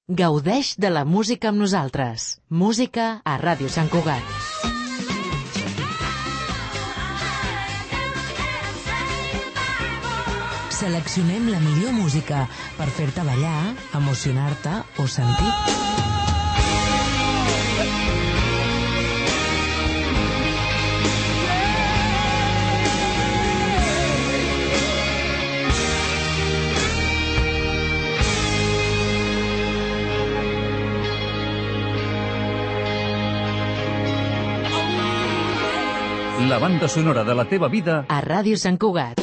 Gaudeix de la música amb nosaltres. Música a Ràdio Sant Cugat. Seleccionem la millor música per fer-te ballar, emocionar-te o sentir. La banda sonora de la teva vida a Ràdio Sant Cugat.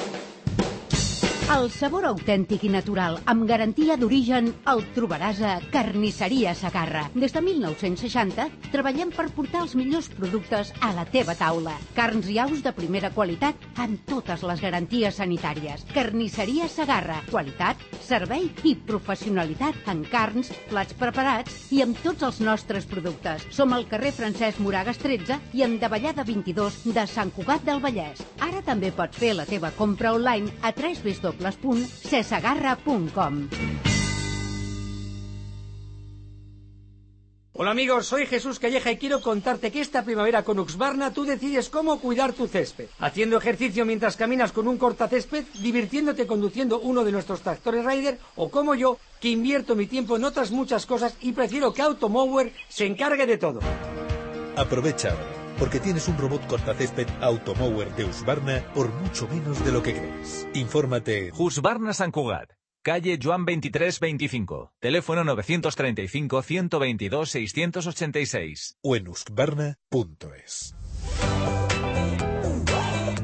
El sabor autèntic i natural, amb garantia d'origen, el trobaràs a Carnisseria Segarra. Des de 1960 treballem per portar els millors productes a la teva taula. Carns i aus de primera qualitat amb totes les garanties sanitàries. Carnisseria Segarra. Qualitat, servei i professionalitat en carns, plats preparats i amb tots els nostres productes. Som al carrer Francesc Moragas 13 i en Davallada 22 de Sant Cugat del Vallès. Ara també pots fer la teva compra online a www.cesegarra.com. Hola amigos, soy Jesús Calleja y quiero contarte que esta primavera con Husqvarna tú decides cómo cuidar tu césped. Haciendo ejercicio mientras caminas con un cortacésped, divirtiéndote conduciendo uno de nuestros tractores Raider, o como yo, que invierto mi tiempo en otras muchas cosas y prefiero que Automower se encargue de todo. Aprovecha, porque tienes un robot cortacésped Automower de Husqvarna por mucho menos de lo que crees. Infórmate. Husqvarna Sant Cugat, calle Joan 2325, teléfono 932-622-686. O en husqvarna.es.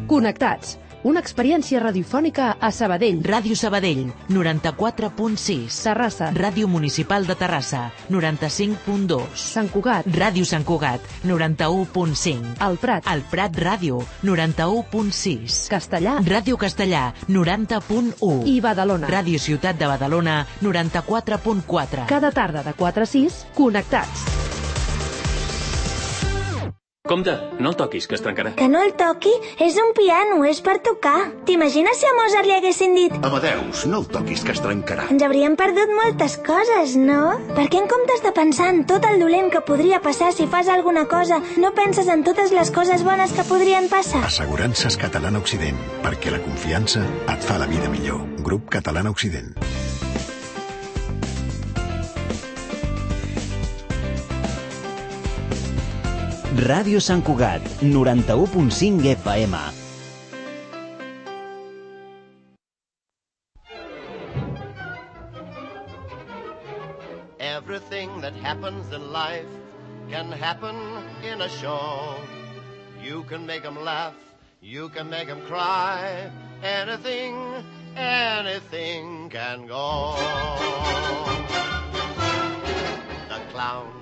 Connectats. Una experiència radiofònica a Sabadell. Ràdio Sabadell, 94.6. Terrassa. Ràdio Municipal de Terrassa, 95.2. Sant Cugat. Ràdio Sant Cugat, 91.5. El Prat. El Prat Ràdio, 91.6. Castellà. Ràdio Castellà, 90.1. I Badalona. Ràdio Ciutat de Badalona, 94.4. Cada tarda de 4 a 6, connectats. Compte, no el toquis, que es trencarà. Que no el toqui? És un piano, és per tocar. T'imagines si a Mozart li haguessin dit Amadeus, no el toquis, que es trencarà. ens hauríem perdut moltes coses, no? Per què en comptes de pensar en tot el dolent que podria passar si fas alguna cosa, no penses en totes les coses bones que podrien passar? Assegurances Catalana Occident, perquè la confiança et fa la vida millor. Grup Catalana Occident. Ràdio Sant Cugat, 91.5 FM. Everything that happens in life can happen in a show. You can make them laugh, you can make them cry. Anything can go. The clown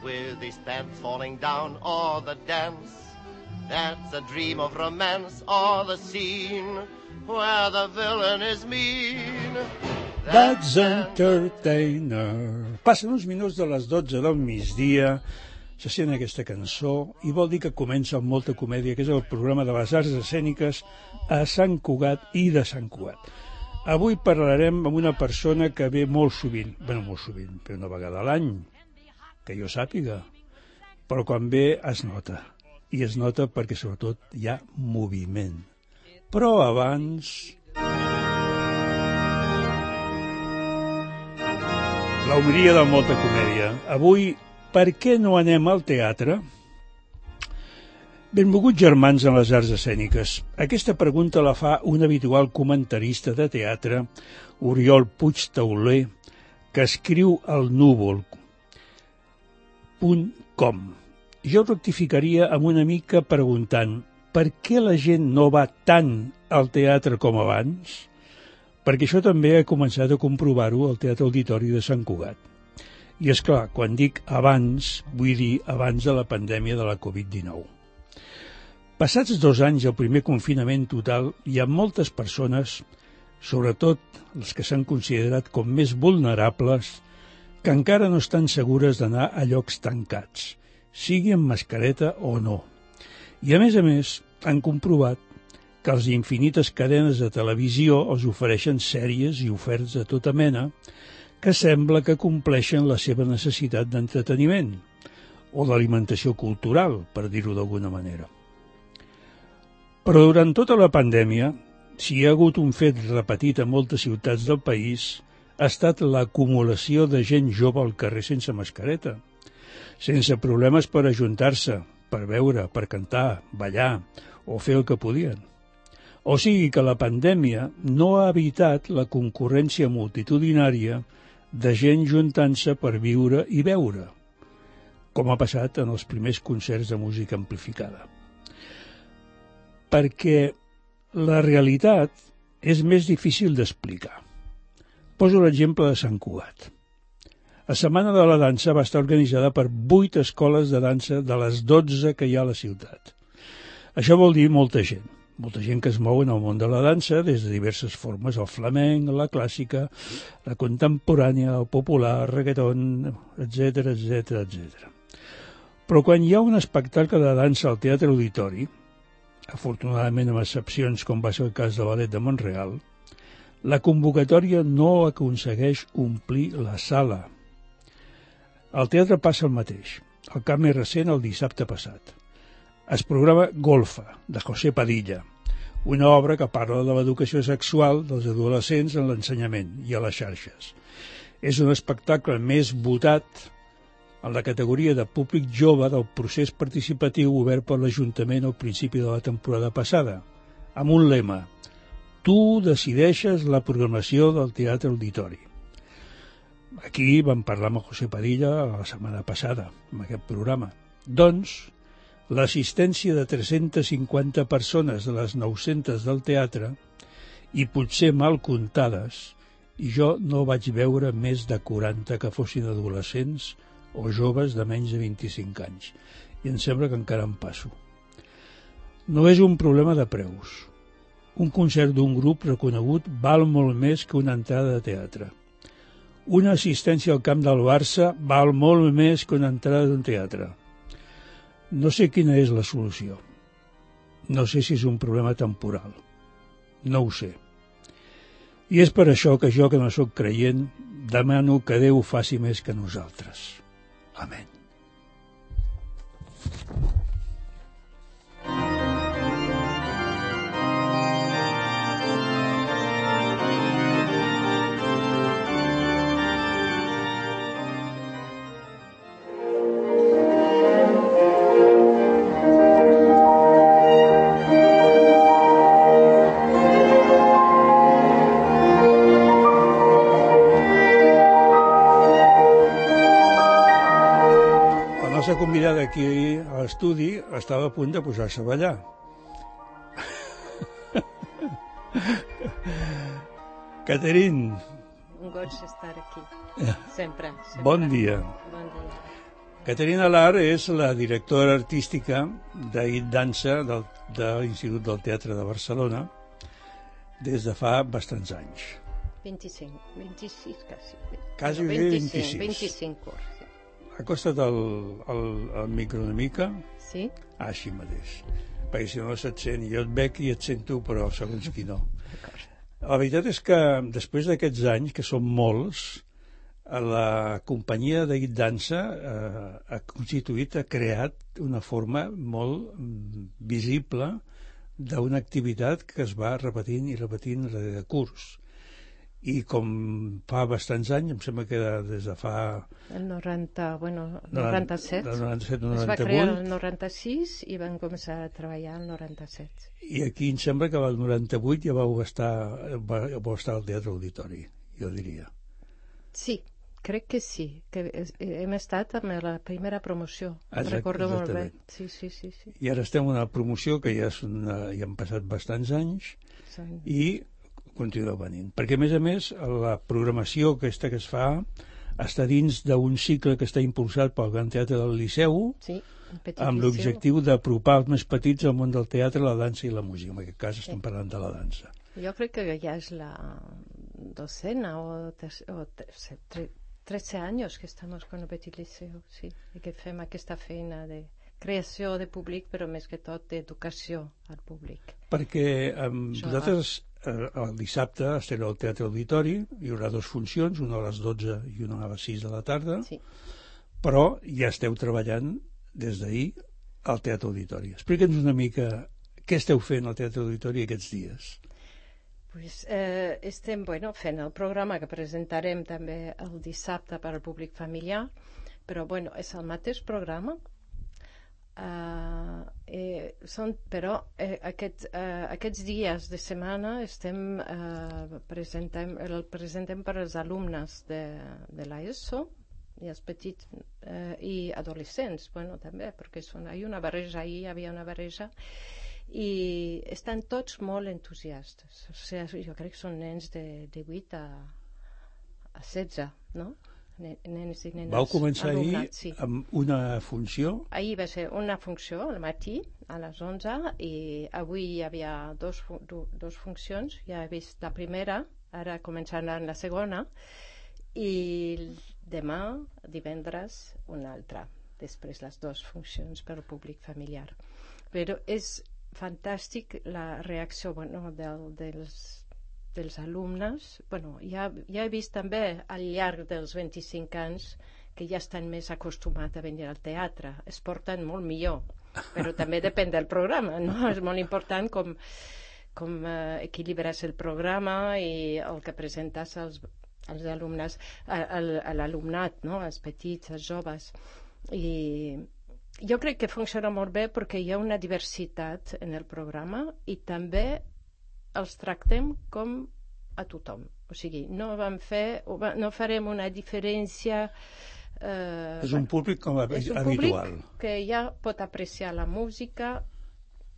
with his pants falling down, or the dance that's a dream of romance, or the scene where the villain is mean. That's Entertainer. Passen uns minuts de les 12 del migdia, se sent aquesta cançó i vol dir que comença amb molta comèdia, que és el programa de les arts escèniques a Sant Cugat i de Sant Cugat. Avui parlarem amb una persona que ve molt sovint, però una vegada a l'any, que jo sàpiga, però quan ve es nota, i es nota perquè sobretot hi ha moviment. Però abans... la homeria de molta comèdia. Avui, per què no anem al teatre? Benvolguts germans en les arts escèniques. Aquesta pregunta la fa un habitual comentarista de teatre, Oriol Puig Tauler, que escriu al núvol.com. Jo rectificaria amb una mica preguntant per què la gent no va tant al teatre com abans? Perquè això també he començat a comprovar-ho al Teatre Auditori de Sant Cugat. I és clar, quan dic abans, vull dir abans de la pandèmia de la Covid-19. Passats 2 anys del primer confinament total, hi ha moltes persones, sobretot les que s'han considerat com més vulnerables, que encara no estan segures d'anar a llocs tancats, sigui amb mascareta o no. I a més, han comprovat que les infinites cadenes de televisió els ofereixen sèries i oferts de tota mena que sembla que compleixen la seva necessitat d'entreteniment o d'alimentació cultural, per dir-ho d'alguna manera. Però durant tota la pandèmia, si hi ha hagut un fet repetit a moltes ciutats del país, ha estat l'acumulació de gent jove al carrer sense mascareta, sense problemes per ajuntar-se, per beure, per cantar, ballar o fer el que podien. O sigui que la pandèmia no ha evitat la concurrència multitudinària de gent juntant-se per viure i beure, com ha passat en els primers concerts de música amplificada. Perquè la realitat és més difícil d'explicar. Poso l'exemple de Sant Cugat. La Setmana de la Dansa va estar organitzada per 8 escoles de dansa de les 12 que hi ha a la ciutat. Això vol dir molta gent que es mou en el món de la dansa des de diverses formes, el flamenc, la clàssica, la contemporània, el popular, el reggaeton, etc, etc, etc. Però quan hi ha un espectacle de dansa al Teatre Auditori, afortunadament amb excepcions com va ser el cas de Ballet de Montreal, la convocatòria no aconsegueix omplir la sala. Al teatre passa el mateix. El cas més recent, el dissabte passat. Es programa Golfa, de José Padilla, una obra que parla de l'educació sexual dels adolescents en l'ensenyament i a les xarxes. És un espectacle més votat en la categoria de públic jove del procés participatiu obert per l'Ajuntament al principi de la temporada passada, amb un lema: tu decideixes la programació del Teatre Auditori. Aquí vam parlar amb José Padilla la setmana passada, amb aquest programa. Doncs, l'assistència de 350 persones de les 900 del teatre, i potser mal comptades, i jo no vaig veure més de 40 que fossin adolescents o joves de menys de 25 anys. I em sembla que encara em passo. No és un problema de preus. Un concert d'un grup reconegut val molt més que una entrada de teatre. Una assistència al camp del Barça val molt més que una entrada d'un teatre. No sé quina és la solució. No sé si és un problema temporal. No ho sé. I és per això que jo, que no sóc creient, demano que Déu faci més que nosaltres. Amén. Convidada aquí a l'estudi estava a punt de posar-se a ballar. Catherine. Un goig estar aquí. Sempre. Bon dia. Bon dia. Catherine Alar és la directora artística d'It Dansa de l'Institut del Teatre de Barcelona des de fa bastants anys. 26 quasi. Quasi 26. 25 anys. Acosta't al micro una mica. Sí? Així mateix. Perquè si no se't sent, jo et veig i et sento, però segons qui no. La veritat és que després d'aquests anys, que són molts, la companyia d'It Dansa ha constituït, ha creat una forma molt visible d'una activitat que es va repetint i repetint de curs. I com fa bastants anys, em sembla que des de fa... El 97. El 97, 98. Es va crear el 96 i van començar a treballar el 97. I aquí em sembla que el 98 ja vau estar al Teatre Auditori, jo diria. Sí, crec que sí, que hem estat amb la primera promoció. Recordo molt bé. Sí. I ara estem en una promoció que ja han passat bastants anys i continua venint. Perquè, a més, la programació aquesta que es fa està dins d'un cicle que està impulsat pel Gran Teatre del Liceu, amb l'objectiu d'apropar els més petits al món del teatre, la dansa i la música. En aquest cas estem parlant de la dansa. Jo crec que ja és la 12ª o 13 anys que estem con el Petit Liceu, sí, i que fem aquesta feina de creació de públic, però més que tot d'educació al públic. Perquè vosaltres el dissabte estaré al Teatre Auditori, hi haurà 2 funcions, una a les 12 i una a les 6 de la tarda, sí. Però ja esteu treballant des d'ahir al Teatre Auditori. Explica'ns una mica què esteu fent al Teatre Auditori aquests dies. Pues, estem fent el programa que presentarem també el dissabte per al públic familiar, però és el mateix programa. Aquests dies de setmana el presentem per als alumnes de l'ESO i els petits i adolescents, també, perquè hi ha una barreja, ahir hi havia una barreja, i estan tots molt entusiastes. O sigui, jo crec que són nens de 8 a 16, no? Nens i nenes. Vau començar ahir sí. Amb una funció? Ahir va ser una funció al matí a les 11 i avui hi havia dos funcions. Ja he vist la primera, ara començaran la segona i demà, divendres, una altra, després les 2 funcions per al públic familiar. Però és fantàstic la reacció dels alumnes. Ja he vist també al llarg dels 25 anys que ja estan més acostumats a venir al teatre, es porten molt millor, però també depèn del programa, no? És molt important com equilibres el programa i el que presentes als alumnes, a l'alumnat, no? Els petits, els joves. I jo crec que funciona molt bé perquè hi ha una diversitat en el programa i també els tractem com a tothom. O sigui, no farem una diferència. És un públic com habitual. És un públic que ja pot apreciar la música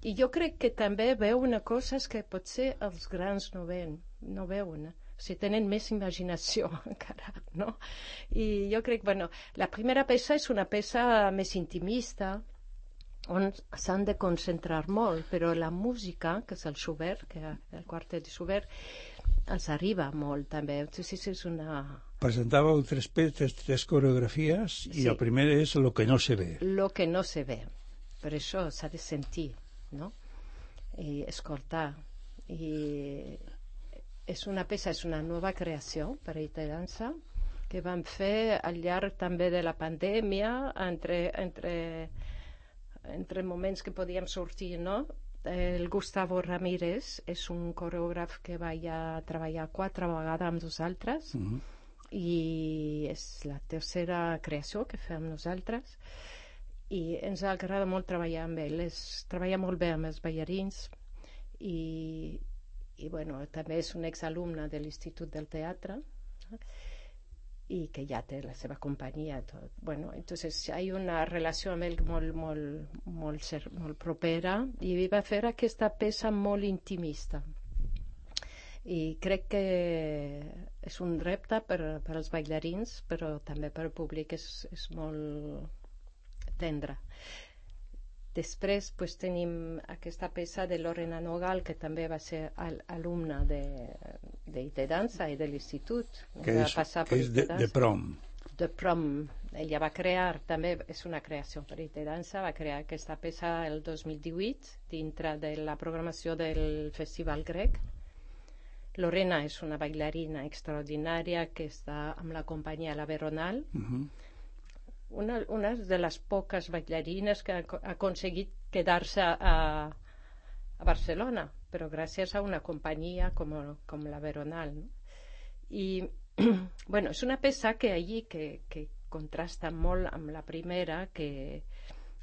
i jo crec que també veuen coses que potser els grans no veuen. O sigui, tenen més imaginació encara, no? I jo crec, la primera peça és una peça més intimista, on s'han de concentrar molt, però la música, que és el Schubert, el quartet de Schubert, els arriba molt també. És una... Presentàveu 3 coreografies i el primer és Lo que no se ve. Lo que no se ve. Per això s'ha de sentir, no? I escoltar. I és una peça, és una nova creació per a Ita Dansa que vam fer al llarg també de la pandèmia, entre moments que podíem sortir, no? El Gustavo Ramírez és un coreògraf que va treballar 4 vegades amb nosaltres i és la tercera creació que fem nosaltres i ens agrada molt treballar amb ell. Treballa molt bé amb els ballarins i també és un exalumne de l'Institut del Teatre i que ja té la seva companyia. Entonces hi ha una relació amb ell molt propera i va fer aquesta peça molt intimista. I crec que és un repte per als ballarins, però també per al públic és molt tendre. Després tenim aquesta peça de Lorena Nogal, que també va ser alumna d'Ite Dansa i de l'Institut. Que és de Prom. De Prom. Ella va crear, també és una creació per Ite Dansa, va crear aquesta peça el 2018 dintre de la programació del Festival Grec. Lorena és una bailarina extraordinària que està amb la companyia La Veronal. Una de les poques ballarines que ha aconseguit quedar-se a Barcelona, però gràcies a una companyia com la Veronal. No? I és una peça que contrasta molt amb la primera, que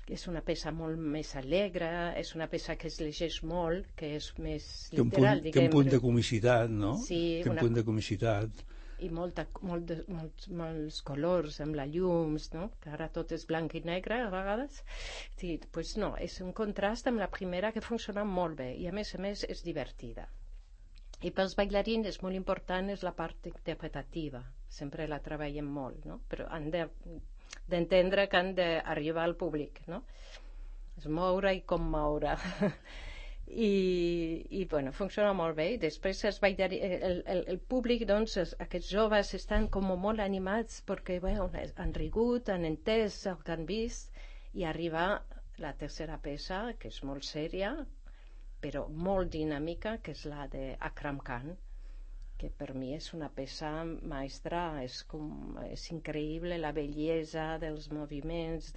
és una peça molt més alegre, és una peça que es llegeix molt, que és més literal, diguem. Té un punt de comicitat, no? Sí. Té un punt de comicitat. I molts colors amb la llums, no? Que ara tot és blanc i negre a vegades. Sí, no, és un contrast amb la primera que funciona molt bé i a més és divertida. I pels ballarins és molt important és la part interpretativa, sempre la treballem molt, no? Però han d'entendre que han d'arribar al públic, no? És moure i com moure. I funciona molt bé. I després el públic, aquests joves estan com molt animats perquè han rigut, han entès el que han vist i arriba la tercera peça, que és molt sèria però molt dinàmica, que és la d'Akram Khan, que per mi és una peça maestra, és increïble la bellesa dels moviments,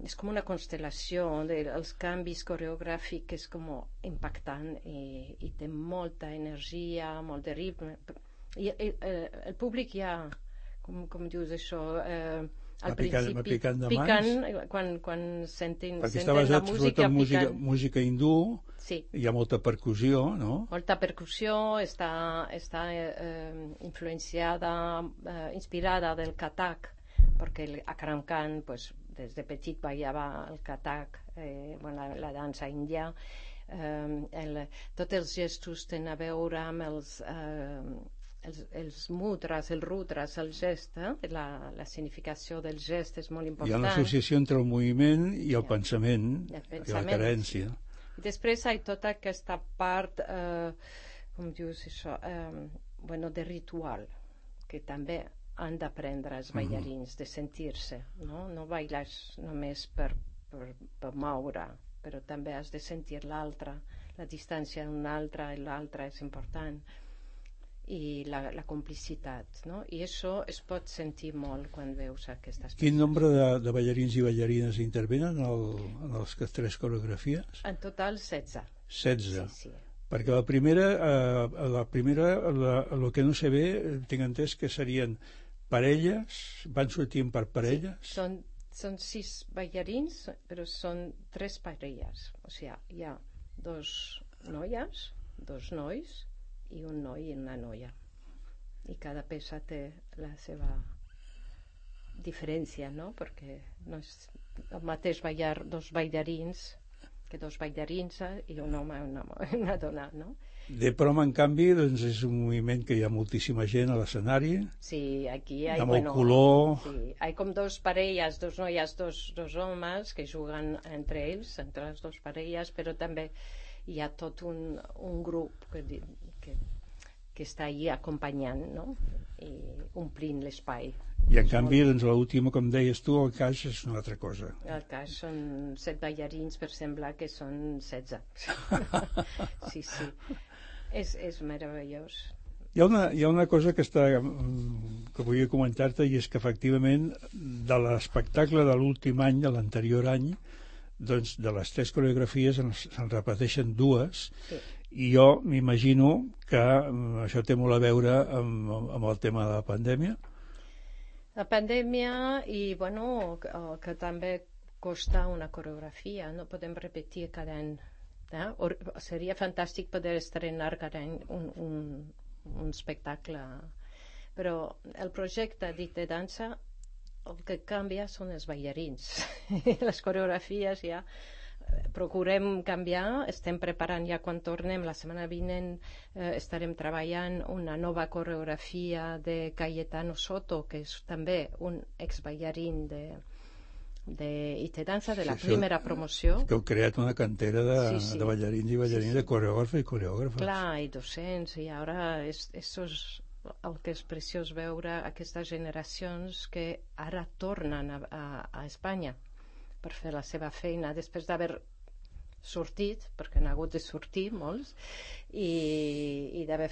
és com una constel·lació, els canvis coreogràfics és com impactant i té molta energia, molt de ritme. I el públic ja, com dius això, al principi piquen quan senten perquè està basat sobretot en música hindú, hi ha molta percussió, no? Molta percussió, està influenciada, inspirada del Kathak, perquè Akram Khan des de petit ballava el Kathak, la dansa índia. Tots els gestos tenen a veure amb els mudras, els rudras, el gest, la significació del gest és molt important. Hi ha l'associació entre el moviment i el pensament, i la carència. I després hi ha tota aquesta part, com dius això, de ritual, que també han d'aprendre els ballarins, de sentir-se, no bailes només per moure, però també has de sentir l'altre, la distància d'un altre, i l'altre és important, i la complicitat, no? I això es pot sentir molt quan veus aquestes peces. Quin nombre de ballarins i ballarines intervenen en les 3 coreografies? En total 16. 16? Sí. Perquè la primera, el que no sé bé, tinc entès que serien parelles, van sortint per parelles? Sí, són 6 ballarins, però són 3 parelles. O sigui, hi ha 2 noies, 2 nois, i un noi i una noia, i cada peça té la seva diferència, no? Perquè no és el mateix ballar 2 ballarins que 2 ballarins i un home i una dona, no? De prom, en canvi, doncs és un moviment que hi ha moltíssima gent a l'escenari. Sí, aquí hi ha molt color. Sí, hi ha com 2 parelles, 2 noies, 2 homes que juguen entre ells, entre les 2 parelles, però també hi ha tot un grup que està allí acompanyant, no? I omplint l'espai. I en canvi, doncs, l'última, com deies tu, el cas és una altra cosa. El cas són 7 ballarins, per semblar que són 16. Sí. És meravellós. Hi ha una cosa que volia comentar-te, i és que efectivament de l'espectacle de l'últim any, de l'anterior any, doncs de les 3 coreografies se'n repeteixen 2, i jo m'imagino que això té molt a veure amb el tema de la pandèmia. La pandèmia i, que també costa una coreografia, no podem repetir cada any. Seria fantàstic poder estrenar cada any un espectacle, però el projecte dit de dansa el que canvia són els ballarins. Les coreografies ja procurem canviar, estem preparant ja quan tornem la setmana vinent, estarem treballant una nova coreografia de Cayetano Soto, que és també un exballarín i de dansa de la primera promoció. Que heu creat una cantera de ballarins i ballarines, de coreògrafs i coreògrafes. Clar, i docents, i ara això és el que és preciós veure aquestes generacions que ara tornen a Espanya per fer la seva feina després d'haver sortit, perquè han hagut de sortir molts, i d'haver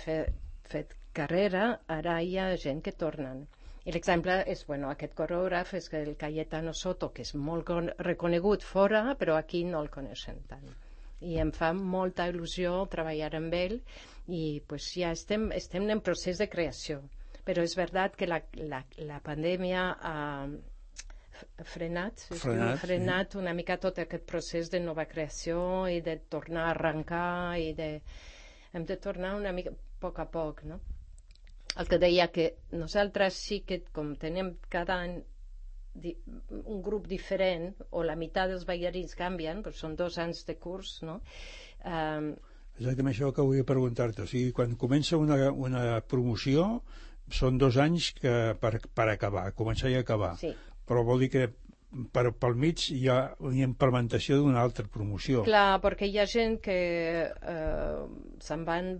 fet carrera. Ara hi ha gent que tornen. I l'exemple és, aquest coreògraf és el Cayetano Soto, que és molt reconegut fora, però aquí no el coneixen tant. I em fa molta il·lusió treballar amb ell, i ja estem en procés de creació. Però és veritat que la pandèmia ha frenat una mica tot aquest procés de nova creació i de tornar a arrencar, i hem de tornar una mica a poc, no? El que deia que nosaltres sí que, com tenim cada any un grup diferent, o la meitat dels ballarins canvien, però són 2 anys de curs, no? Exactament això que volia preguntar-te. O sigui, quan comença una promoció, són 2 anys per acabar, començar i acabar. Sí. Però vol dir que pel mig hi ha una implementació d'una altra promoció. Clar, perquè hi ha gent que se'n van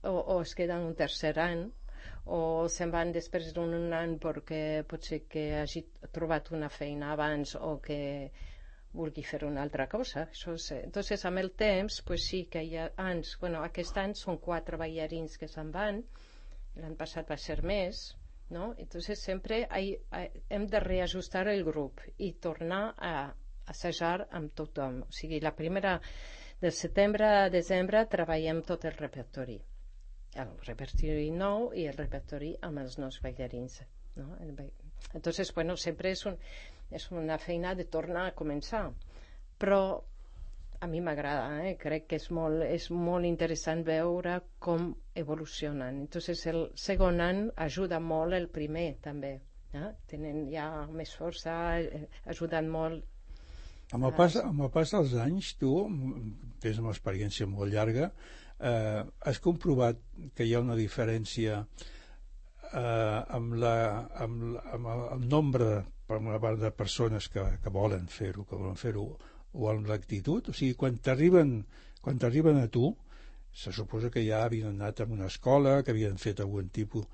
o es queden un tercer any, o se'n van després d'un any perquè potser que hagi trobat una feina abans, o que vulgui fer una altra cosa. Entonces, amb el temps, pues sí que hi ha anys, aquest any són 4 ballarins que se'n van, l'any passat va ser més, no? Entonces sempre hem de reajustar el grup i tornar a assajar amb tothom. O sigui, la primera, del setembre a desembre, treballem tot el repertori nou i el repertori amb els nous ballarins, no? Entonces, sempre és una feina de tornar a començar, però a mi m'agrada, crec que és molt interessant veure com evolucionen. Entonces, el segon any ajuda molt el primer, també. Tenen ja més força, ajuden molt. Amb el pas dels anys, tu tens una experiència molt llarga, has comprovat que hi ha una diferència amb el nombre, per una part, de persones que volen fer-ho, o amb l'actitud? O sigui, quan t'arriben a tu, se suposa que ja havien anat a una escola, que havien fet algun tipus.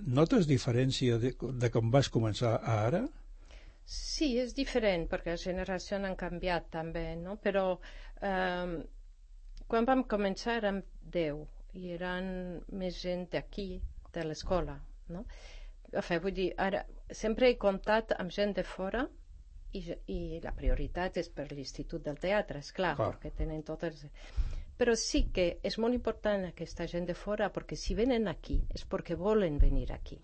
Notes diferència de com vas començar a ara? Sí, és diferent, perquè les generacions han canviat també, no? Però quan vam començar érem 10 i eren més gent d'aquí, de l'escola, no? Vull dir, ara sempre he comptat amb gent de fora i la prioritat és per l'Institut del Teatre, esclar, perquè tenen totes... Però sí que és molt important aquesta gent de fora, perquè si venen aquí és perquè volen venir aquí.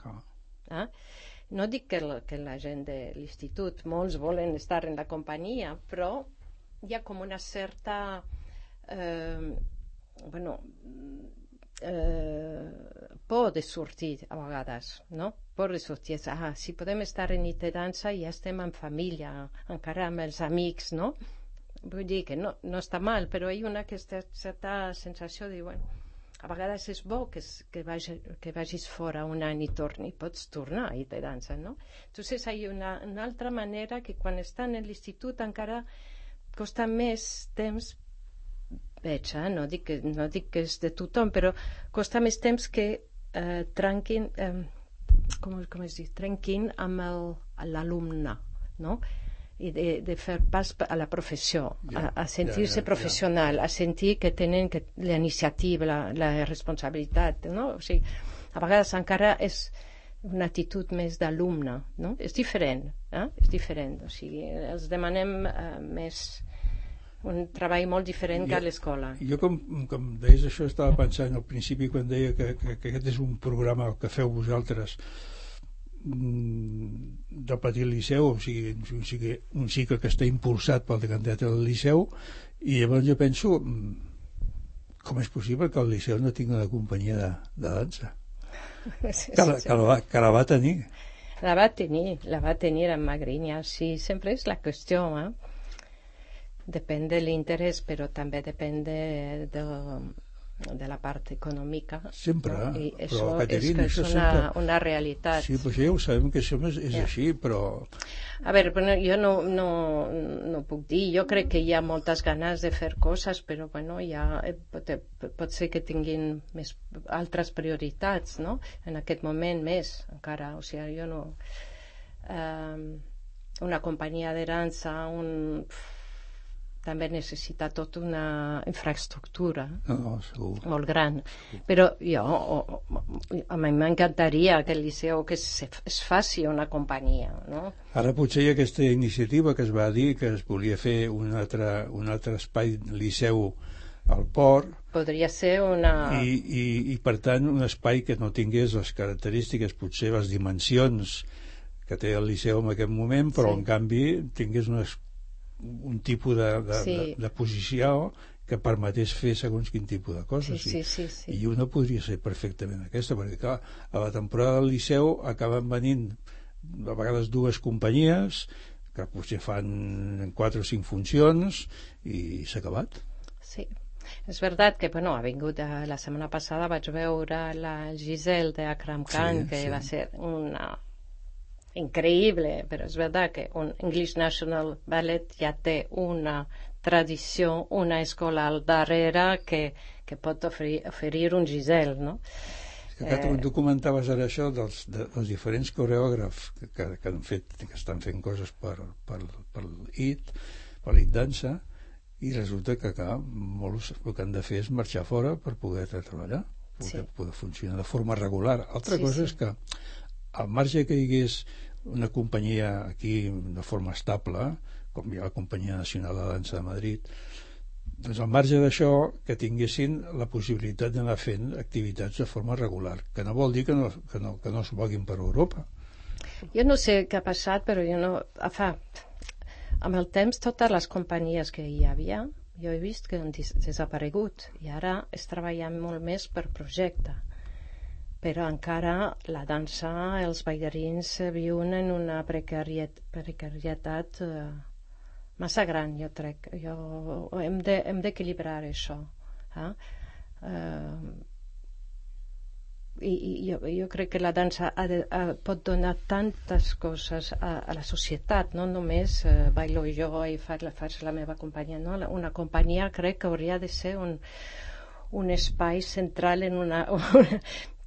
No dic que la gent de l'Institut, molts volen estar en la companyia, però hi ha com una certa por de sortir a vegades, no? Por de sortir, si podem estar en nit de dansa ja estem en família, encara amb els amics, no? Vull dir que no està mal, però hi ha aquesta certa sensació de, a vegades és bo que vagis fora un any i pots tornar a nit de dansa, no? Entonces hi ha una altra manera que quan estan en l'institut encara costa més temps, veig, no dic que és de tothom, però costa més temps que trenquin amb l'alumne, no? I de fer pas a la professió, a sentir-se professional, a sentir que tenen la iniciativa, la responsabilitat, no? O sigui, a vegades encara és una actitud més d'alumne, no? És diferent, és diferent, o sigui, els demanem més un treball molt diferent que a l'escola. Jo, com deies això, estava pensant al principi quan deia que aquest és un programa que feu vosaltres del Petit Liceu, o sigui, un cicle que està impulsat pel decantat del Liceu, i llavors jo penso, com és possible que el Liceu no tingui una companyia de dansa? Que la va tenir. La va tenir en Magriña, sí, sempre és la qüestió, depèn de l'interès, però també depèn de la part econòmica. Sempre, i però Caterina, és una realitat. Sí, però ja ho sabem que això és així, però... A veure, jo no puc dir, jo crec que hi ha moltes ganes de fer coses, però pot ser que tinguin altres prioritats, no? En aquest moment més, encara, o sigui, jo no... Una companyia de dansa, també necessita tota una infraestructura molt gran, però a mi m'encantaria que el Liceu que es faci una companyia, no? Ara potser hi ha aquesta iniciativa que es va dir que es volia fer un altre espai Liceu al port, podria ser una... i per tant un espai que no tingués les característiques, potser les dimensions que té el Liceu en aquest moment, però en canvi tingués un tipus de posició que permetés fer segons quin tipus de coses. Sí. I una podria ser perfectament aquesta, perquè clar, a la temporada del Liceu acaben venint a vegades 2 companyies que potser fan 4 o 5 funcions i s'ha acabat. Sí, és veritat que ha vingut la setmana passada, vaig veure la Giselle de Akram Khan, que va ser una increïble, però és veritat que un English National Ballet ja té una tradició, una escola al darrere que pot oferir un Giselle, no? Tu comentaves ara això dels diferents coreògrafs que estan fent coses per l'IT, per l'IT Dansa, i resulta que molts el que han de fer és marxar fora per poder treballar, poder funcionar de forma regular. Altra cosa és que al marge que hi hagués una companyia aquí de forma estable, com hi ha la Companyia Nacional de Dansa de Madrid, doncs al marge d'això que tinguessin la possibilitat d'anar fent activitats de forma regular, que no vol dir que no es moguin per Europa. Jo no sé què ha passat, però jo no... Amb el temps, totes les companyies que hi havia, jo he vist que han desaparegut, i ara es treballa molt més per projecte. Però encara la dansa, els ballarins viuen en una precarietat massa gran, jo crec. Hem d'equilibrar això. I jo crec que la dansa pot donar tantes coses a la societat, no només ballo jo i faig la meva companyia, no? Una companyia crec que hauria de ser un espai central en una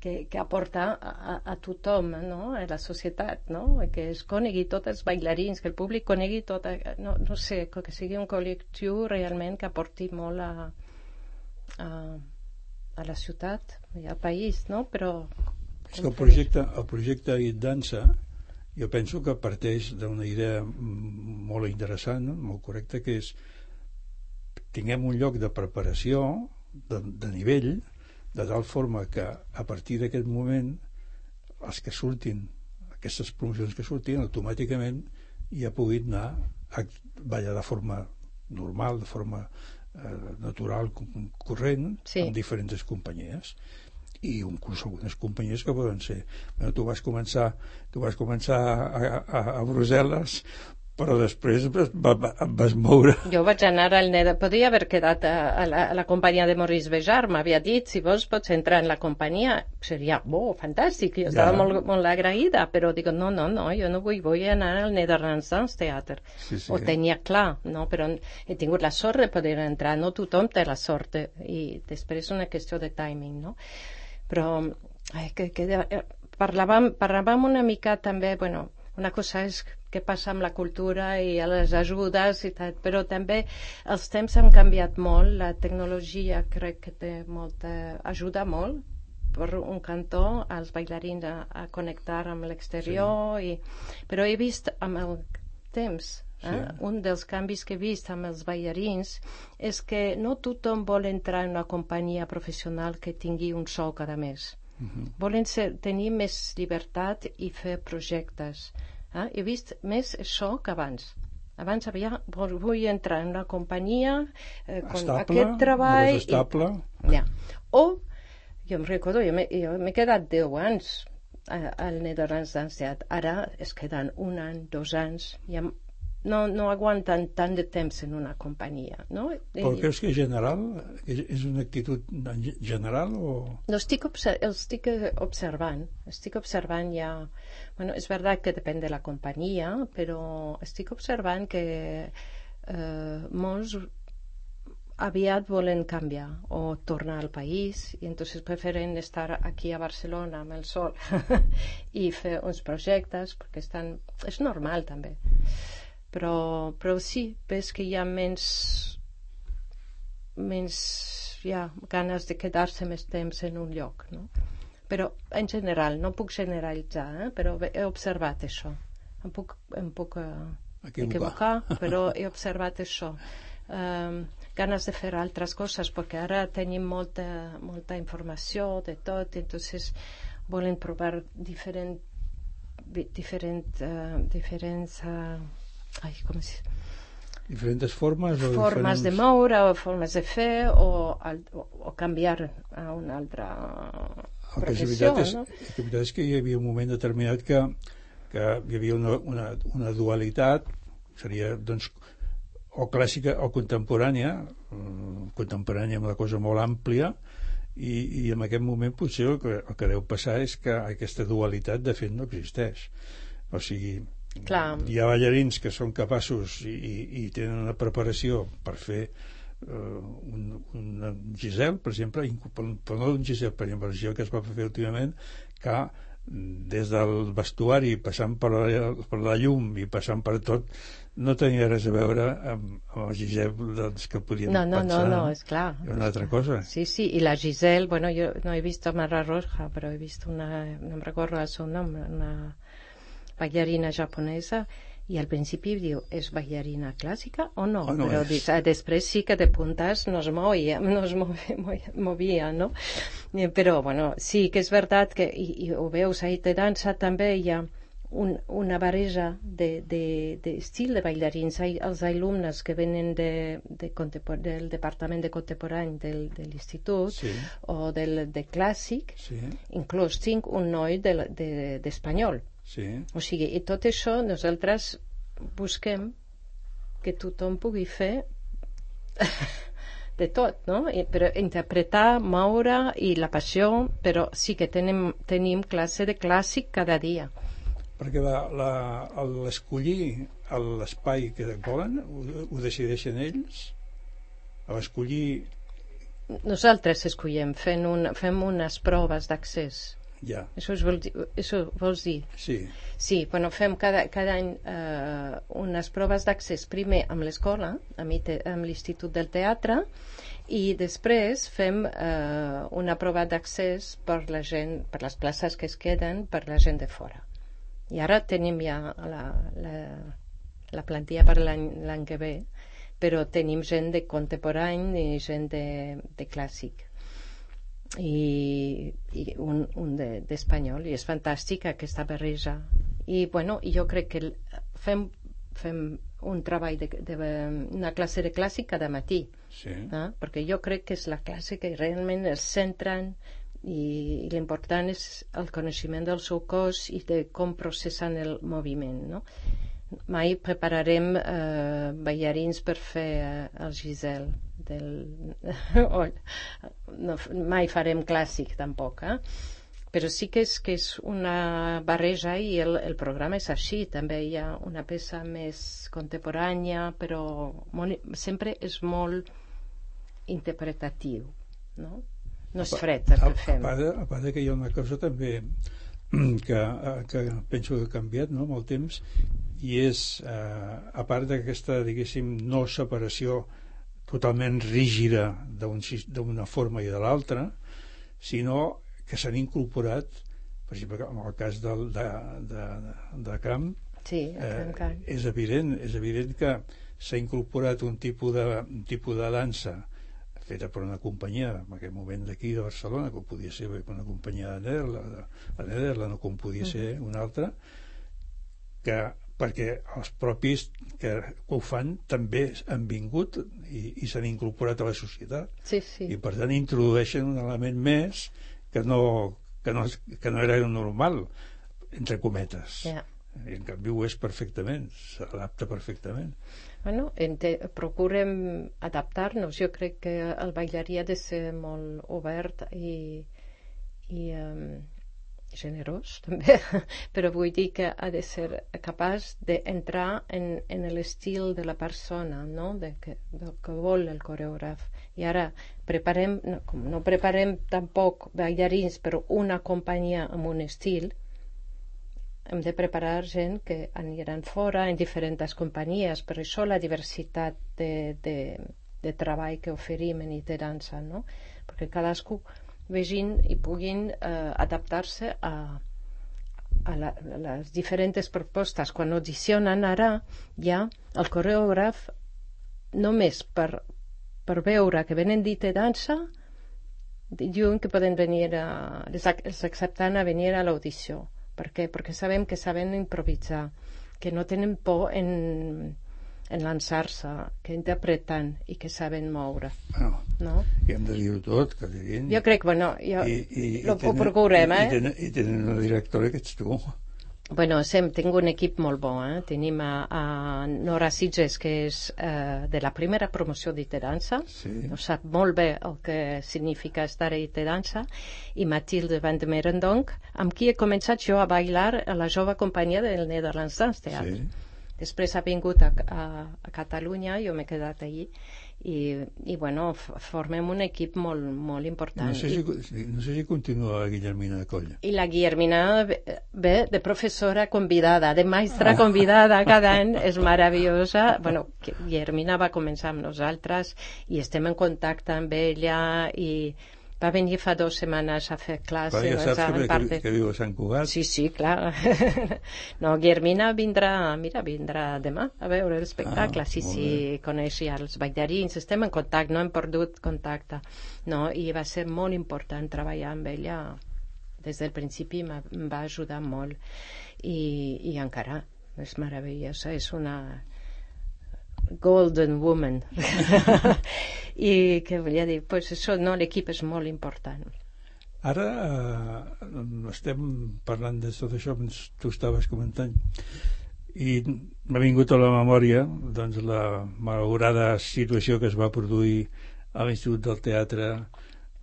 que aporta a tothom, no? A la societat, no? Que es conegui tots els ballarins, que el públic conegui tot, no sé, que sigui un col·lectiu realment que aporti molt a la ciutat i al país, no? Però... És que el projecte IT Dansa jo penso que parteix d'una idea molt interessant, no? Molt correcta, que és tinguem un lloc de preparació de nivell, de tal forma que a partir d'aquest moment els que surtin, aquestes promocions que surtin, automàticament ja puguin anar a ballar de forma normal, de forma natural, corrent, amb diferents companyies, i inclús algunes companyies que poden ser... Tu vas començar a Brussel·les, però després vas moure. Jo vaig anar al Neder, podria haver quedat a la companyia de Maurice Béjart, m'havia dit, si vols pots entrar en la companyia, seria fantàstic, jo estava molt agraïda, però dic, no, jo no vull anar al Netherlands Dance Theater, ho tenia clar, no? Però he tingut la sort de poder entrar, no tothom té la sort, i després és una qüestió de timing, no? Però parlàvem una mica també, bueno, una cosa és què passa amb la cultura i les ajudes i tal, però també els temps han canviat molt, la tecnologia crec que ajuda molt per un cantó als ballarins a connectar amb l'exterior, però he vist amb el temps, un dels canvis que he vist amb els ballarins és que no tothom vol entrar en una companyia professional que tingui un sou cada mes. Volen tenir més llibertat i fer projectes. He vist més això que abans. Abans vull entrar en una companyia amb aquest treball... Estable. O, jo em recordo, jo m'he quedat 10 anys al Netherlands Dance Theater. Ara es queden 1 any, 2 anys... No aguanten tant de temps en una companyia, no? Però creus que és general? És una actitud general o...? No, estic observant ja... Bueno, és veritat que depèn de la companyia, però estic observant que molts aviat volen canviar o tornar al país i entonces preferen estar aquí a Barcelona amb el sol i fer uns projectes perquè és normal també. Però sí, ves que hi ha menys ganes de quedar-se més temps en un lloc, no? Però en general, no puc generalitzar, però he observat això. Em puc equivocar, però he observat això. Ganes de fer altres coses, perquè ara tenim molta informació de tot, entonces volen provar diferents formes de moure o formes de fer o canviar a una altra professió, no? La veritat és que hi havia un moment determinat que hi havia una dualitat, seria doncs o clàssica o contemporània amb una cosa molt àmplia, i en aquest moment potser el que deu passar és que aquesta dualitat de fet no existeix. O sigui, hi ha ballarins que són capaços i tenen una preparació per fer una Giselle, per exemple, però no un Giselle, per exemple, que es va fer últimament, que des del vestuari, passant per la llum i passant per tot, no tenia res a veure amb el Giselle que podien pensar. No, és clar. Una altra cosa. Sí, i la Giselle, bueno, yo no he visto Mara Roja, pero he visto no me recuerdo el seu nom, una ballarina japonesa, i al principi diu, és ballarina clàssica o no? Però després sí que de puntes no es movia, no? Però, bueno, sí que és veritat que, i ho veus, ahí de dansa també hi ha una barreja d'estil de ballarins. Els alumnes que venen del departament de contemporani de l'institut o de clàssic, inclús tinc un noi d'espanyol. O sigui, i tot això nosaltres busquem que tothom pugui fer de tot, no? Però interpretar, moure i la passió, però sí que tenim classe de clàssic cada dia. Perquè l'escollir l'espai que volen ho decideixen ells? L'escollir... Nosaltres escollem, fem unes proves d'accés. Ja. Això vols dir? Sí, bueno, fem cada any unes proves d'accés, primer amb l'escola, amb l'Institut del Teatre, i després fem una prova d'accés per la gent, per les places que es queden per la gent de fora. I ara tenim ja la plantilla per l'any que ve, però tenim gent de contemporani i gent de clàssic. I un d'espanyol, i és fantàstic aquesta barreja. I bueno, jo crec que fem un treball una classe de clàssic cada matí, perquè jo crec que és la classe que realment es centren, i l'important és el coneixement del seu cos i de com processen el moviment, no? Mai prepararem ballarins per fer el Giselle mai farem clàssic tampoc, però sí que és una barreja, i el programa és així. També hi ha una peça més contemporània, però sempre és molt interpretatiu, no és fred el que fem. A part que hi ha una cosa també que penso que ha canviat, no?, amb el temps, i és, a part d'aquesta, diguéssim, no separació totalment rígida d'una forma i de l'altra, sinó que s'han incorporat, per exemple, en el cas de Camp, és evident que s'ha incorporat un tipus de dansa feta per una companyia, en aquell moment d'aquí de Barcelona, com podia ser una companyia de Nederland, o com podia ser una altra, perquè els propis que ho fan també han vingut i s'han incorporat a la societat, i per tant introdueixen un element més que no era normal, entre cometes, i en canvi ho és perfectament, s'adapta perfectament. Bueno, procurem adaptar-nos. Jo crec que el ballarí ha de ser molt obert i generós també, però vull dir que ha de ser capaç d'entrar en l'estil de la persona, no? Del que vol el coreògraf. I ara no preparem tampoc ballarins per una companyia amb un estil, hem de preparar gent que aniran fora en diferents companyies. Per això la diversitat de treball que oferim en IT Dansa, no? Perquè cadascú vegin i puguin adaptar-se a les diferents propostes. Quan audicionen ara, ja el coreògraf, només per veure que venen d'IT Dansa, diuen que poden venir els accepten a venir a l'audició. Per què? Perquè sabem que saben improvisar, que no tenen por en lançar-se, que interpreten i que saben moure. No? I hem de dir-ho tot, que diguin. Jo crec, bueno, ho procurem, I tenen una directora que ets tu. Bueno, tinc un equip molt bo, Tenim a Nora Sitges, que és de la primera promoció d'IT Dansa, sap molt bé el que significa estar a IT Dansa, i Mathilde van de Merendonk, amb qui he començat jo a bailar a la jove companyia del Netherlands Dance Theatre. Després ha vingut a Catalunya, jo m'he quedat allí, i bueno, formem un equip molt important. No sé si continua la Guillermina de Coll. I la Guillermina ve de professora convidada, de maestra convidada cada any, és meravellosa. Bueno, Guillermina va començar amb nosaltres i estem en contacte amb ella i va venir fa 2 setmanes a fer classe. Ja saps que viu a Sant Cugat. Sí, clar. No, Guillermina vindrà demà a veure l'espectacle. Sí, coneix ja els ballarins, estem en contacte, no hem perdut contacte. No, i va ser molt important treballar amb ella. Des del principi em va ajudar molt. I encara és meravellosa, és una golden woman. I què volia dir? Pues això, no, l'equip és molt important. Ara estem parlant de tot això, tu estaves comentant, i m'ha vingut a la memòria doncs, la malaurada situació que es va produir a l'Institut del Teatre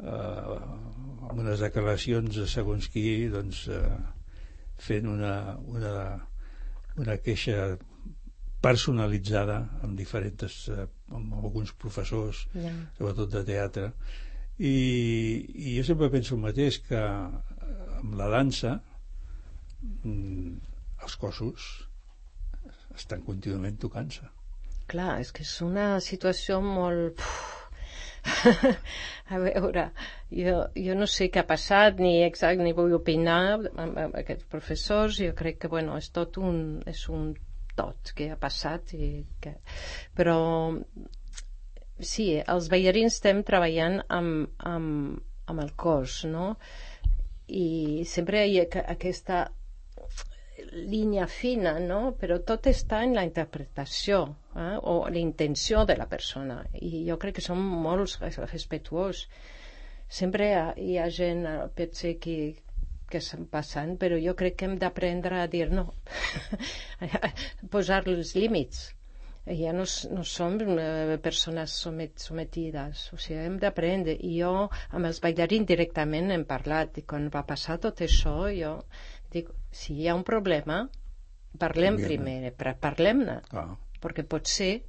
amb unes declaracions de segons qui doncs, fent una queixa personalitzada amb amb alguns professors, sobretot de teatre, i jo sempre penso el mateix, que amb la dansa els cossos estan contínuament tocant-se. Clar, és que és una situació molt... A veure, jo no sé què ha passat, ni vull opinar amb aquests professors. Jo crec que, bueno, és un tot que ha passat però sí, els ballarins estem treballant amb el cos, no? I sempre hi ha aquesta línia fina, no? Però tot està en la interpretació o la intenció de la persona, i jo crec que som molt respectuosos. Sempre hi ha gent, potser que estan passant, però jo crec que hem d'aprendre a dir no, posar els límits. Ja no som persones sometides, o sigui, hem d'aprendre. I jo amb els ballarins directament hem parlat, i quan va passar tot això jo dic, si hi ha un problema parlem primer, parlem-ne, perquè potser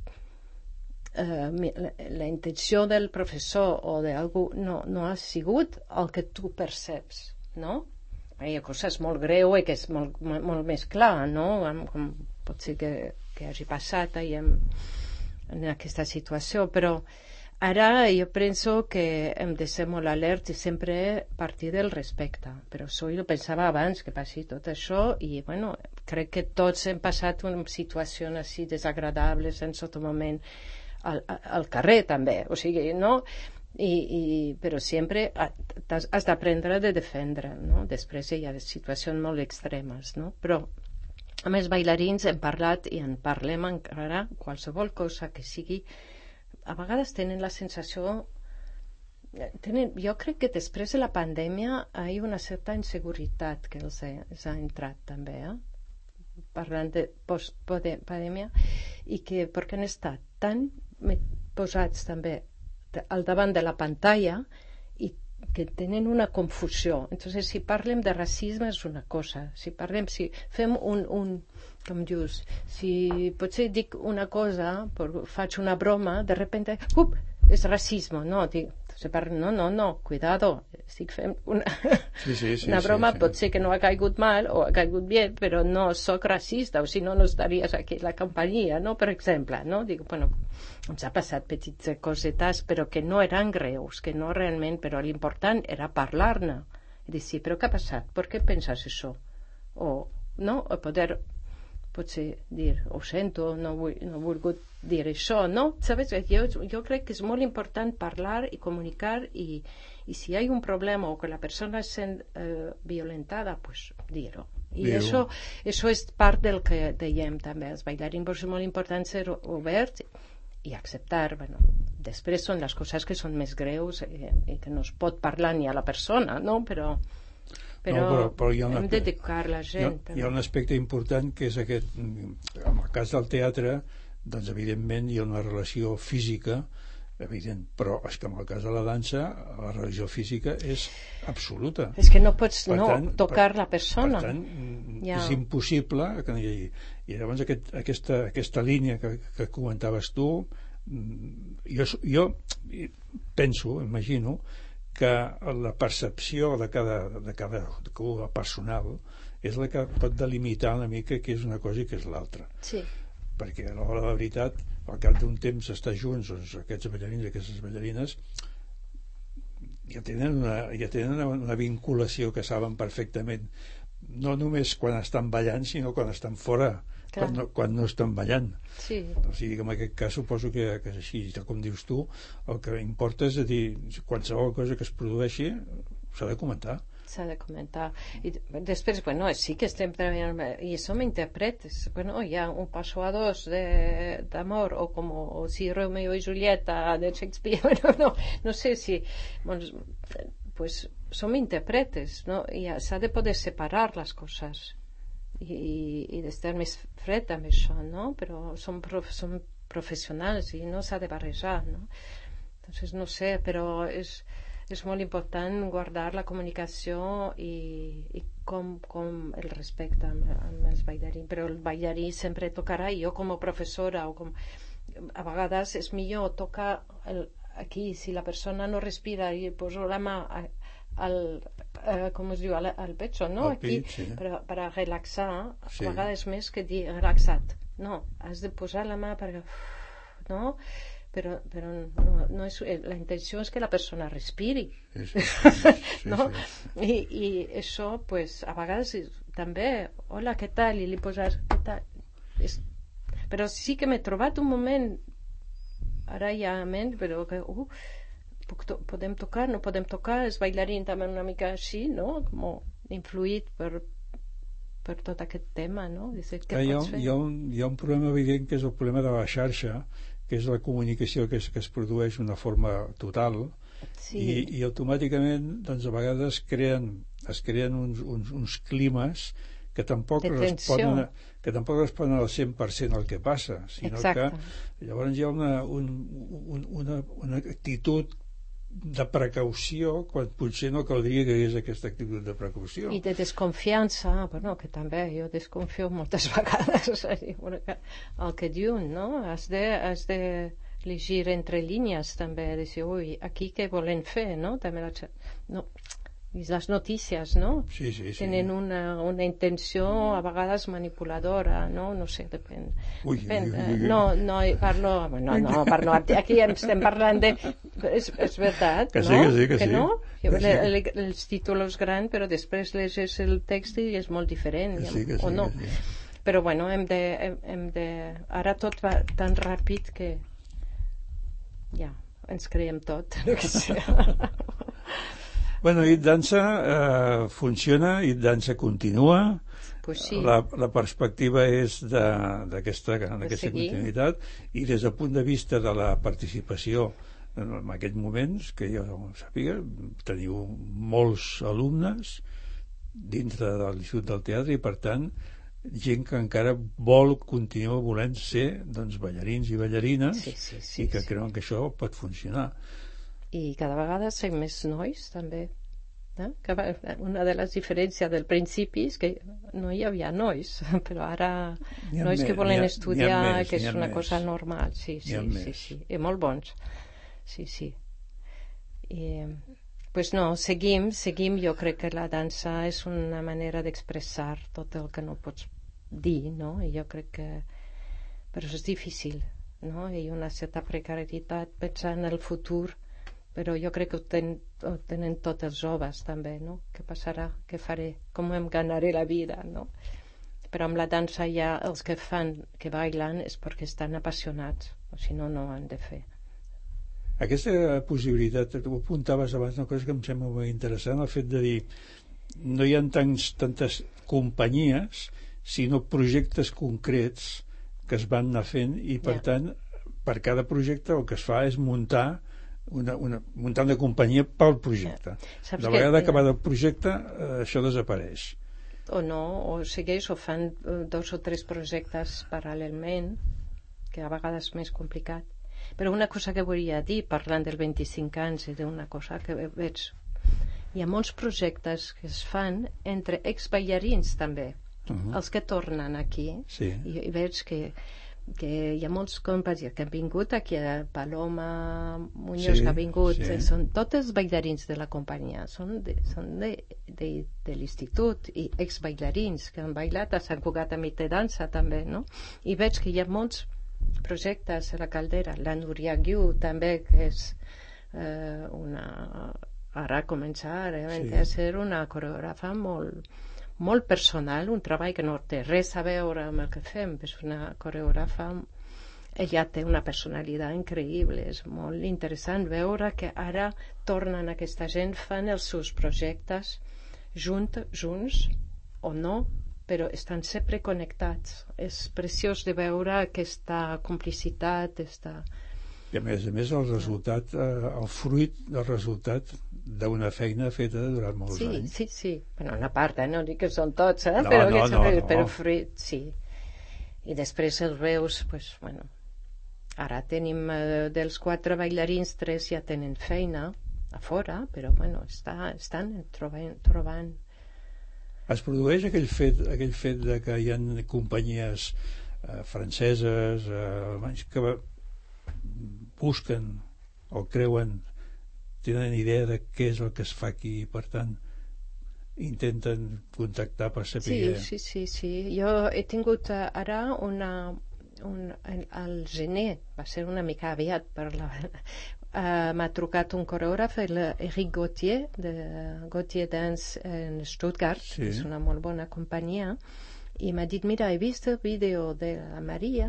la intenció del professor o d'algú no ha sigut el que tu perceps, no? Hi ha coses molt greu i que és molt més clar, no? Com pot ser que hagi passat en aquesta situació, però ara jo penso que hem de ser molt alerts i sempre partir del respecte. Però això jo pensava abans que passi tot això, i bueno, crec que tots hem passat una situació així desagradables en tot moment al carrer també, o sigui, no? Però sempre has d'aprendre a defendre, no? Després hi ha situacions molt extremes, no? Però amb els ballarins hem parlat i en parlem encara. Qualsevol cosa que sigui, a vegades tenen la sensació, jo crec que després de la pandèmia hi ha una certa inseguretat que els ha entrat també, parlant de post-pandèmia, i que perquè han estat tan posats també al davant de la pantalla i que tenen una confusió. Entonces, si parlem de racisme és una cosa, si fem com dius, si potser dic una cosa, faig una broma, de repente, és racisme, no? Dic, no, cuidado, estic fent una broma, pot ser que no ha caigut mal o ha caigut bé, però no soc racista, o si no estaries aquí a la companyia, no? Per exemple, no? Dic, bueno, ens ha passat petites cosetes, però que no eren greus, que no realment, però l'important era parlar-ne, i dir, sí, però què ha passat? Per què penses això? O, no? O poder potser dir, ho sento, no he volgut dir això, no? Sabes? Jo crec que és molt important parlar i comunicar, i si hi ha un problema o que la persona es sent violentada, pues dir-ho. I això és part del que dèiem també als ballarins, però és molt important ser obert i acceptar. Bueno, després són les coses que són més greus i que no es pot parlar ni a la persona, no? Però hem d'educar la gent. Hi ha un aspecte important, que és aquest. En el cas del teatre, doncs evidentment hi ha una relació física evident, però és que en el cas de la dansa la relació física és absoluta. És que no pots tocar la persona. Per tant, és impossible que no hi hagi. I llavors aquesta línia que comentaves tu jo penso, imagino, que la percepció de cada personal és la que pot delimitar una mica què és una cosa i què és l'altra. Sí. Perquè a l'hora de la veritat, al cap d'un temps estar junts, doncs aquests ballarins i aquestes ballarines ja tenen una vinculació que saben perfectament, no només quan estan ballant, sinó quan estan fora, quan no estan ballant. Sí. O sigui que en aquest cas suposo que és així, com dius tu, el que importa és dir, qualsevol cosa que es produeixi s'ha de comentar. S'ha de comentar. I després, bueno, sí que estem treballant, i som intèrprets. Bueno, hi ha un paso a dos d'amor, o como si Romeo y Julieta de Shakespeare, bueno, no sé si... Bueno, pues som intèrpretes, no? I s'ha de poder separar les coses i d'estar més fred amb això, no? Però som professionals i no s'ha de barrejar, no? Entonces, no sé, però és molt important guardar la comunicació i com el respecte amb els ballarins, però el ballarí sempre tocarà, i jo com a professora a vegades és millor tocar aquí, si la persona no respira i poso la mà com es diu, al pecho, no? Aquí, per relaxar, a vegades més que dir relaxat, no, has de posar la mà per... no? Però no és, la intenció és que la persona respiri, no? I això, pues, a vegades també, hola, què tal? I li poses, què tal? Però sí que m'he trobat un moment, ara ja menys, però que, podem tocar, no podem tocar, els ballarins també una mica així, no? Com influït per tot aquest tema, no? Hi ha un problema evident, que és el problema de la xarxa, que és la comunicació que es produeix d'una forma total, i automàticament, doncs, a vegades es creen uns climes que tampoc responen al 100% al que passa, sinó que llavors hi ha una actitud de precaució quan potser no caldria que hi hagués aquesta actitud de precaució. I de desconfiança, bueno, que també jo desconfio moltes vegades el que diuen, no? Has de llegir entre línies també, de dir, ui, aquí què volen fer, no? També no. I les notícies, no? Sí. Tenen una intenció a vegades manipuladora, no? No sé, depèn. No, parlo, aquí estem parlant de... És veritat, no? Que sí. No? Els títols grans, però després llegeix el text i és molt diferent, o no? Però bueno, hem de... Ara tot va tan ràpid que ja, ens creiem tot. Bueno, It Dansa funciona, It Dansa continua, pues sí. La perspectiva és d'aquesta continuïtat, i des del punt de vista de la participació en aquests moments, que jo sàpiga, teniu molts alumnes dintre de l'Institut del Teatre, i per tant gent que encara continua volent ser, doncs, ballarins i ballarines, i que creuen que això pot funcionar. I cada vegada som més nois també, no? Una de les diferències del principi és que no hi havia nois, però ara nois que volen estudiar, que és una cosa normal, sí, i molt bons, sí. I pues no, seguim, jo crec que la dansa és una manera d'expressar tot el que no pots dir, no? I jo crec que però és difícil, no? Hi ha una certa precarietat pensant en el futur, però jo crec que ho tenen tots els joves també, no? Què passarà? Què faré? Com em ganaré la vida, no? Però amb la dansa ja els que bailen és perquè estan apassionats, o si no, no ho han de fer. Aquesta possibilitat, tu apuntaves abans una cosa que em sembla molt interessant, el fet de dir no hi ha tantes companyies, sinó projectes concrets que es van anar fent, i per tant per cada projecte el que es fa és muntar una companyia pel projecte. De vegada acabat el projecte això desapareix. O no, o segueix o fan 2 o 3 projectes paral·lelment, que a vegades és més complicat. Però una cosa que volia dir, parlant del 25 anys, i d'una cosa que veig, hi ha molts projectes que es fan entre exballarins també, els que tornen aquí, i veig que que hi ha molts companys que han vingut aquí, Paloma Muñoz, que ha vingut, són tots bailarins de la companyia, són de l'institut i ex-bailarins que han bailat a Sant Cugat a Mit de Dansa també, no? I veig que hi ha molts projectes a la Caldera. La Núria Guiu també, que és ara començar a ser una coreògrafa molt personal, un treball que no té res a veure amb el que fem, és una coreògrafa, ella té una personalitat increïble, és molt interessant veure que ara tornen aquesta gent, fan els seus projectes junts o no, però estan sempre connectats. És preciós de veure aquesta complicitat, I a més el resultat, el fruit del resultat d'una feina feta durant molts anys. Sí. Bueno, una part, no dic que són tots, no, però fruit, sí. I després els veus, bueno, ara tenim dels 4 bailarins, 3 ja tenen feina a fora, però bueno, estan trobant. Es produeix aquell fet de que hi ha companyies franceses, alemanys, que busquen o creuen, tenen idea de què és el que es fa aquí i per tant intenten contactar per saber... Sí. Jo he tingut ara al gener, va ser una mica aviat m'ha trucat un coreògraf, Eric Gauthier de Gauthier Dance en Stuttgart, que és una molt bona companyia, i m'ha dit, mira, he vist el vídeo de la Maria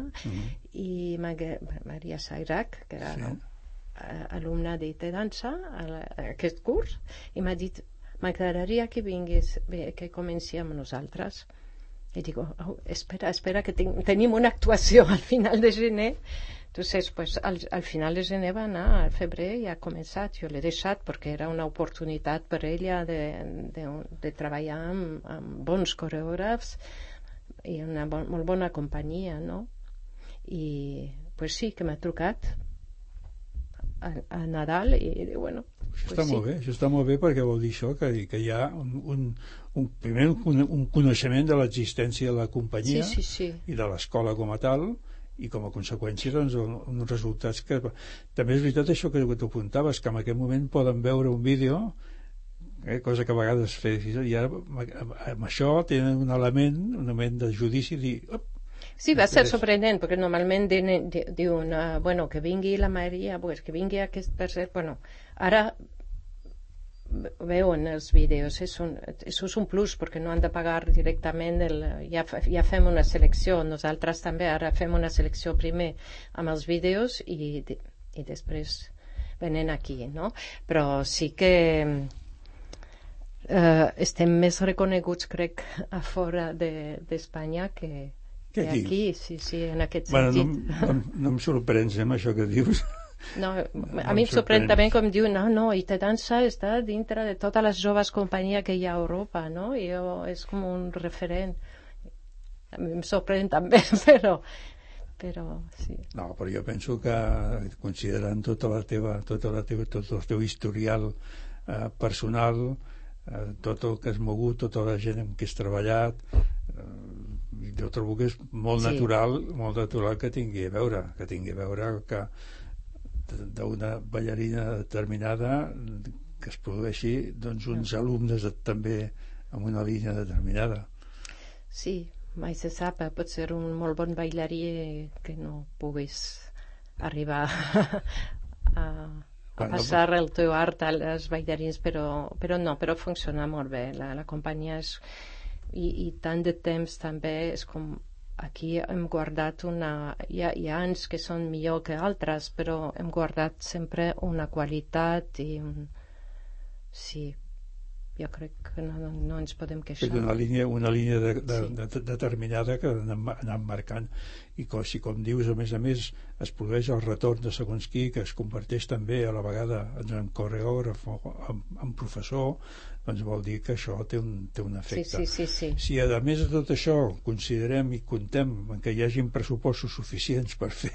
i Maria Sairac, que era alumna de dansa a aquest curs, i m'ha dit, m'agradaria que vingués, que comenci amb nosaltres. I dic, espera que tenim una actuació al final de gener. Entonces, pues, al final de gener va anar, al febrer ja ha començat, jo l'he deixat perquè era una oportunitat per ella de treballar amb bons coreògrafs i una molt bona companyia, no? I pues sí, que m'ha trucat a Nadal i bueno... Això està molt bé perquè vol dir això, que hi ha primer un coneixement de l'existència de la companyia i de l'escola com a tal, i com a conseqüència doncs uns resultats que... També és veritat això que tu apuntaves, que en aquest moment poden veure un vídeo, cosa que a vegades es fa difícil, i ara amb això tenen un element de judici, dir... Sí, va ser sorprenent, perquè normalment diuen, bueno, que vingui la Maria, pues, que vingui aquest tercer... Bueno, ara veuen els vídeos, això és un plus, perquè no han de pagar directament, ja fem una selecció, nosaltres també ara fem una selecció primer amb els vídeos i després venen aquí, no? Però sí que estem més reconeguts, crec, a fora d'Espanya que aquí, sí, en aquest sentit. No em sorprens amb això que dius. No, a mi em sorprèn també com diu, no, i te dansa està dintre de totes les joves companyies que hi ha a Europa, no? I és com un referent. A mi em sorprèn també, però sí. No, però jo penso que considerant tot el teu historial personal, tot el que has mogut, tota la gent amb qui has treballat, jo trobo que és molt natural que tingui a veure que d'una ballarina determinada que es produeixi doncs uns alumnes també amb una línia determinada. Sí, mai se sap, pot ser un molt bon ballarí que no puguis arribar a passar el teu art als ballarins, però funciona molt bé, la companyia és i tant de temps també és com aquí hem guardat hi ha anys que són millor que altres, però hem guardat sempre una qualitat i sí, jo crec que no ens podem queixar. És una línia determinada que anem marcant, i com dius, a més es produeix el retorn de segons qui, que es converteix també a la vegada en coreògraf o en professor, doncs vol dir que això té un efecte. Sí. Si a més de tot això considerem i contem que hi hagin pressupostos suficients per fer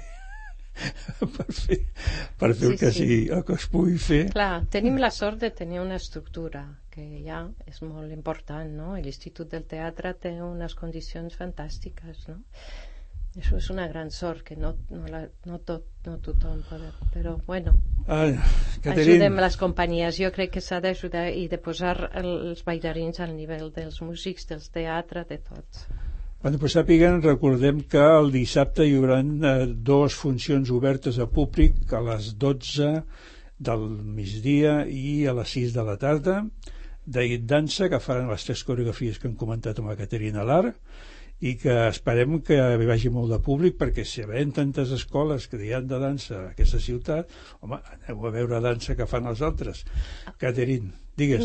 el que sigui, el que es pugui fer. Clar, tenim la sort de tenir una estructura que ja és molt important, no? L'Institut del Teatre té unes condicions fantàstiques, no? Això és una gran sort, que no tothom pot, però bueno, ajudem les companyies. Jo crec que s'ha d'ajudar i de posar els ballarins al nivell dels músics, dels teatres, de tots. Bueno, pues sàpiguen, recordem que el dissabte hi haurà 2 funcions obertes a públic a les 12 del migdia i a les 6 de la tarda, de dansa, que faran les 3 coreografies que hem comentat amb la Caterina Lar, i que esperem que hi vagi molt de públic, perquè si hi ha tantes escoles que hi ha de dansa a aquesta ciutat, home, aneu a veure dansa que fan els altres. Caterina, digues.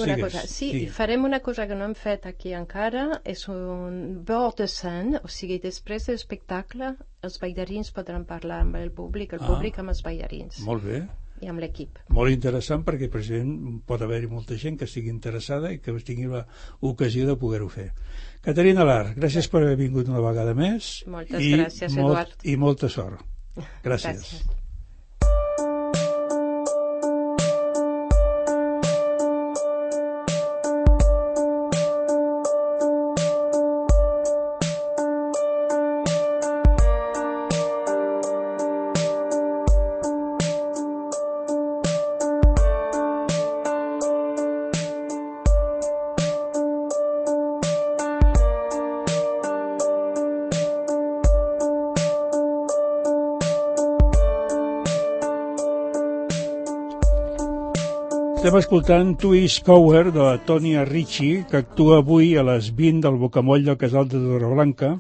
Sí, farem una cosa que no hem fet aquí encara, és un bord de scène, o sigui, després de l'espectacle els ballarins podran parlar amb el públic amb els ballarins. Molt bé. I amb l'equip. Molt interessant, perquè precisament pot haver-hi molta gent que estigui interessada i que tingui l'ocasió de poder-ho fer. Caterina Lar, gràcies per haver vingut una vegada més. Moltes gràcies, Eduard. I molta sort. Gràcies. Estem escoltant Twist Cover de la Tonya Ricci, que actua avui a les 20 del Bocamoll del Casal de Torreblanca,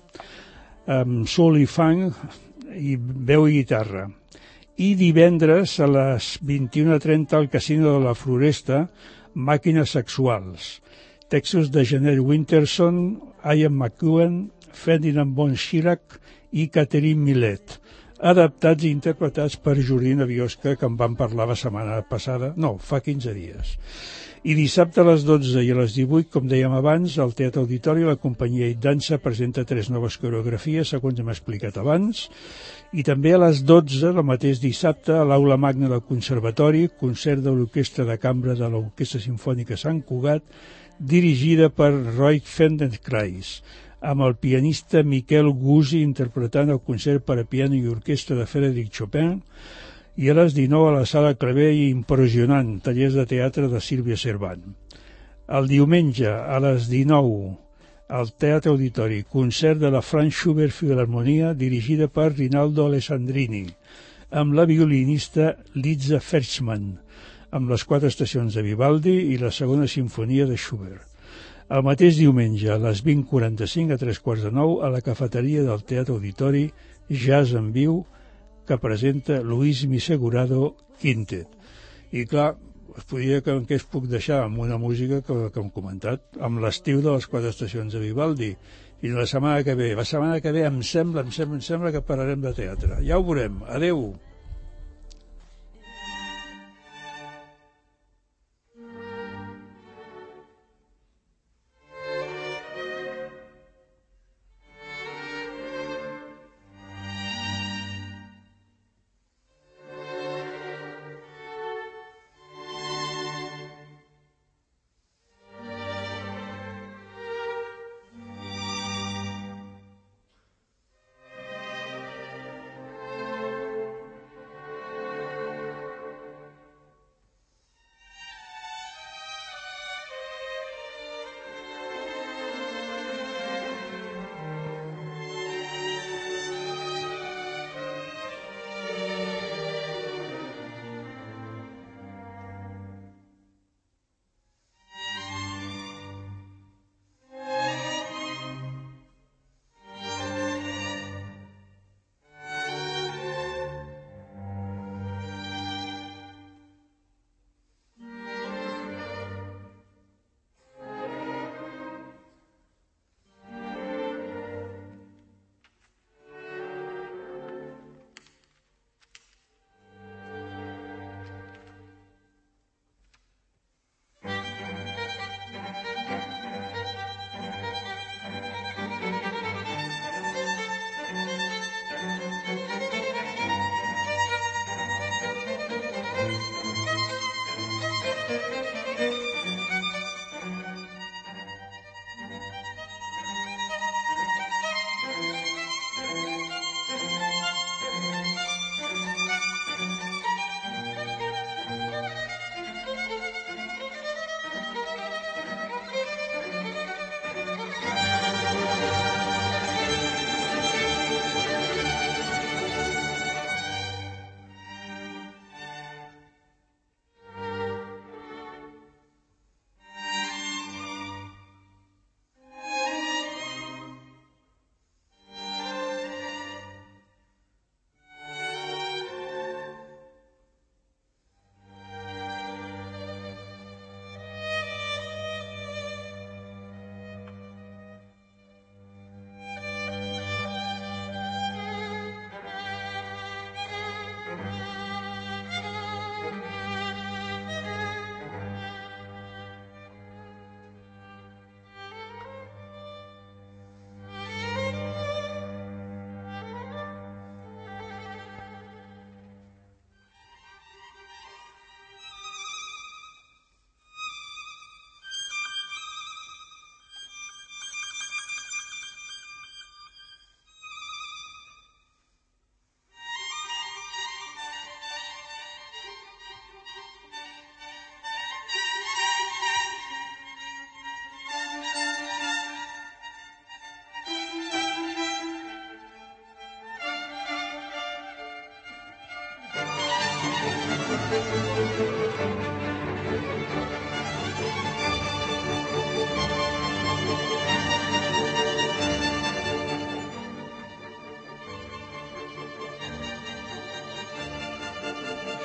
amb soul i funk i veu i guitarra. I divendres a les 21:30 al Casino de la Floresta, Màquines Sexuals. Textos de Jeanette Winterson, Ian McEwen, Ferdinand von Schirach i Catherine Millet, adaptats i interpretats per Jordina Biosca, que en vam parlar la setmana passada, fa 15 dies. I dissabte a les 12 i a les 18, com dèiem abans, al Teatre Auditori la companyia Dansa presenta 3 noves coreografies, segons hem explicat abans, i també a les 12, el mateix dissabte, a l'Aula Magna del Conservatori, concert de l'Orquestra de Cambra de l'Orquestra Simfònica Sant Cugat, dirigida per Roy Feldenkrais, amb el pianista Miquel Guzzi interpretant el concert per a piano i orquestra de Frédéric Chopin, i a les 19 a la Sala Clavé i Impressionant, tallers de teatre de Sílvia Cervant. El diumenge a les 19 al Teatre Auditori, concert de la Franz Schubert Filharmonia dirigida per Rinaldo Alessandrini, amb la violinista Liza Ferchman, amb les 4 estacions de Vivaldi i la segona sinfonia de Schubert. El mateix diumenge, a les 20:45 a 3:45, a la cafeteria del Teatre Auditori, Jazz en viu, que presenta Luis Misegurado Quintet. I clar, us podria que es puc deixar amb una música que hem comentat, amb l'estiu de les 4 estacions de Vivaldi. I la setmana que ve, em sembla que parlarem de teatre. Ja ho veurem. Adeu.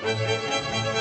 Thank you.